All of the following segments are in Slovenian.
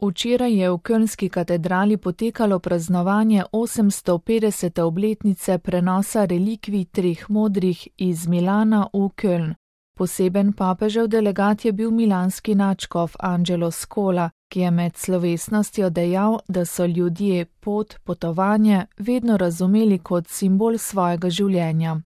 Včeraj je v kölnski katedrali potekalo praznovanje 850. obletnice prenosa relikvij treh modrih iz Milana v Köln. Poseben papežev delegat je bil milanski nadškof Angelo Scola, ki je med slovesnostjo dejal, da so ljudje potovanje vedno razumeli kot simbol svojega življenja.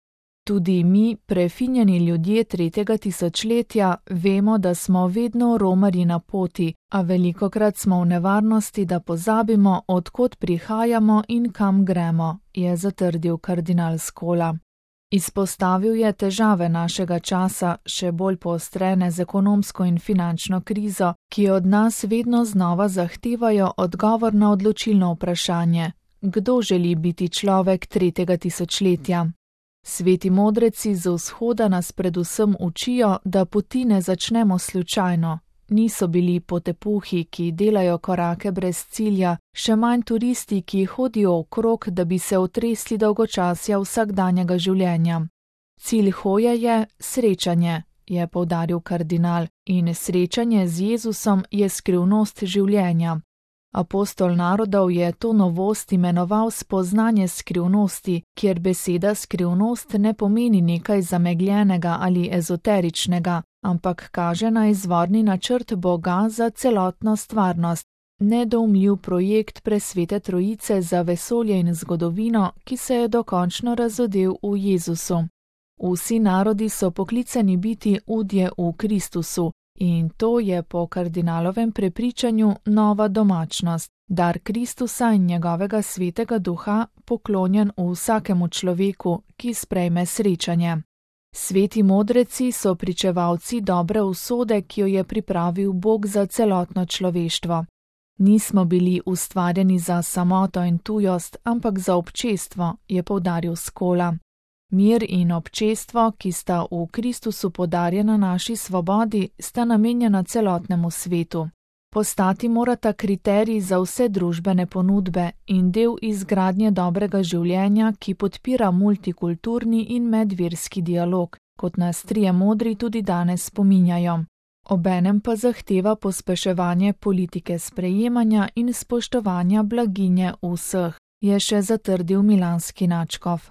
Tudi mi, prefinjeni ljudje 3. tisočletja, vemo, da smo vedno romarji na poti, a velikokrat smo v nevarnosti, da pozabimo, od kod prihajamo in kam gremo, je zatrdil kardinal Scola. Izpostavil je težave našega časa, še bolj poostrene z ekonomsko in finančno krizo, ki od nas vedno znova zahtevajo odgovor na odločilno vprašanje: kdo želi biti človek 3. tisočletja? Sveti modreci z vzhoda nas predvsem učijo, da poti ne začnemo slučajno. Niso bili potepuhi, ki delajo korake brez cilja, še manj turisti, ki hodijo okrog, da bi se otresli dolgočasja vsakdanjega življenja. Cilj hoje je srečanje, je poudaril kardinal, in srečanje z Jezusom je skrivnost življenja. Apostol narodov je to novost imenoval spoznanje skrivnosti, kjer beseda skrivnost ne pomeni nekaj zamegljenega ali ezoteričnega, ampak kaže na izvorni načrt Boga za celotno stvarnost, nedoumljiv projekt presvete trojice za vesolje in zgodovino, ki se je dokončno razodel v Jezusu. Vsi narodi so poklicani biti udje v Kristusu, in to je po kardinalovem prepričanju nova domačnost, dar Kristusa in njegovega svetega duha, poklonjen vsakemu človeku, ki sprejme srečanje. Sveti modreci so pričevalci dobre usode, ki jo je pripravil Bog za celotno človeštvo. Nismo bili ustvarjeni za samoto in tujost, ampak za občestvo, je poudaril Scola. Mir in občestvo, ki sta v Kristusu podarjena naši svobodi, sta namenjena celotnemu svetu. Postati morata kriterij za vse družbene ponudbe in del izgradnje dobrega življenja, ki podpira multikulturni in medverski dialog, kot nas trije modri tudi danes spominjajo. Obenem pa zahteva pospeševanje politike sprejemanja in spoštovanja blaginje vseh, je še zatrdil milanski nadškof.